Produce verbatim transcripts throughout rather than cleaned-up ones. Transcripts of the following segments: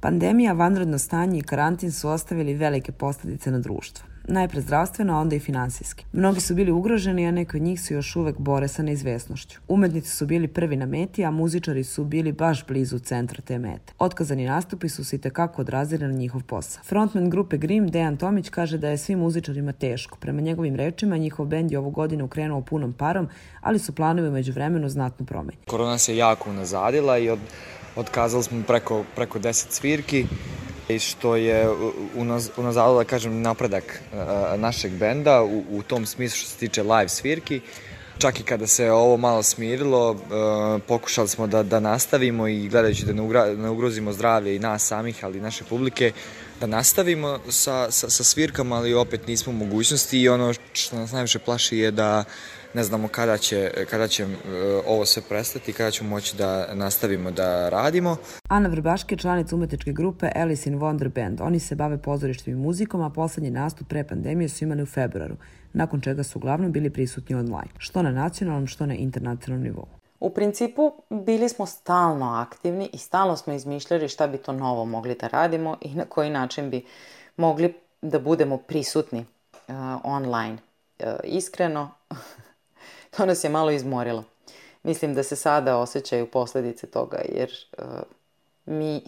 Pandemija, vanredno stanje i karantin su ostavili velike posljedice na društvo. Najpre zdravstveno, a onda i finansijski. Mnogi su bili ugroženi, a neki od njih se još uvek bore sa neizvesnošću. Umetnici su bili prvi na meti, a muzičari su bili baš blizu centra te mete. Otkazani nastupi su se itekako odrazili na njihov posao. Frontman grupe Grimm, Dejan Tomić, kaže da je svim muzičarima teško. Prema njegovim rečima, njihov bend je ovu godinu krenuo punom parom, ali su planovi u međuvremenu znatno promenjeni. Korona se jako unazadila i od, otkazali smo preko, preko deset svirki, i što je unaz, unazadilo, da kažem, napredak uh, našeg benda u, u tom smislu što se tiče live svirki. Čak i kada se ovo malo smirilo, uh, pokušali smo da, da nastavimo i gledajući da ne, ugra, ne ugrozimo zdravlje i nas samih, ali i naše publike, da nastavimo sa, sa, sa svirkama, ali opet nismo u mogućnosti i ono što nas najviše plaši je da ne znamo kada će, kada će uh, ovo sve prestati, kada ćemo moći da nastavimo da radimo. Ana Vrbaške je članica umetničke grupe Alice in Wonder Band. Oni se bave pozorištem i muzikom, a poslednji nastup pre pandemije su imali u februaru, nakon čega su uglavnom bili prisutni online, što na nacionalnom, što na internacionalnom nivou. U principu bili smo stalno aktivni i stalno smo izmišljali šta bi to novo mogli da radimo i na koji način bi mogli da budemo prisutni uh, online. Uh, iskreno, to nas je malo izmorilo. Mislim da se sada osjećaju posljedice toga jer uh, mi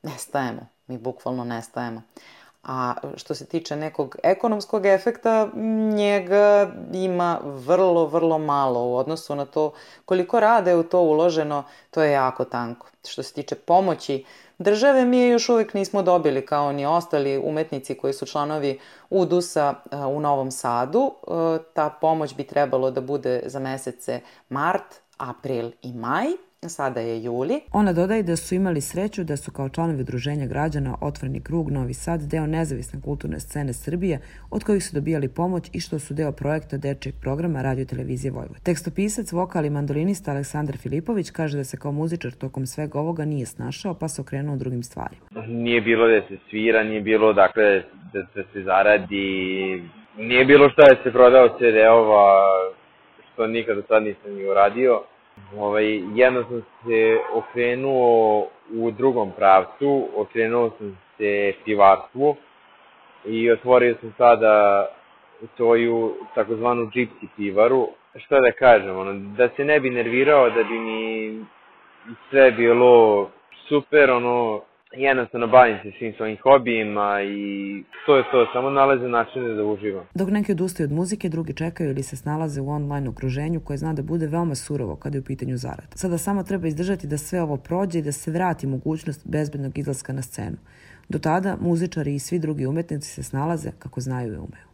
nestajemo, mi bukvalno nestajemo. A što se tiče nekog ekonomskog efekta, njega ima vrlo, vrlo malo u odnosu na to koliko rada je u to uloženo, to je jako tanko. Što se tiče pomoći države, mi je još uvijek nismo dobili kao ni ostali umetnici koji su članovi U D U S-a u Novom Sadu. Ta pomoć bi trebalo da bude za mesece mart, april i maj. Sada je juli. Ona dodaje da su imali sreću da su kao članovi udruženja građana Otvoreni krug Novi Sad deo nezavisne kulturne scene Srbije, od kojih su dobijali pomoć i što su deo projekta dečijeg programa Radio Televizije Vojvodine. Tekstopisac, vokal i mandolinista Aleksandar Filipović kaže da se kao muzičar tokom svega ovoga nije snašao, pa se okrenuo drugim stvarima. Nije bilo da se svira, nije bilo dakle da, da se zaradi, nije bilo šta da se prodao C D-ova, što nikada sad nisam ni uradio. Ovaj, jedno sam se okrenuo u drugom pravcu, okrenuo sam se pivarstvu i otvorio sam sada svoju takozvanu gypsy pivaru. Šta da kažem, ono, da se ne bi nervirao, da bi mi sve bilo super, ono, jednostavno bavim se svim svojim hobijima i to je to, samo nalazim načine da uživam. Dok neki odustaju od muzike, drugi čekaju ili se snalaze u online okruženju koje zna da bude veoma surovo kada je u pitanju zarada. Sada samo treba izdržati da sve ovo prođe i da se vrati mogućnost bezbednog izlaska na scenu. Do tada muzičari i svi drugi umetnici se snalaze kako znaju i umeju.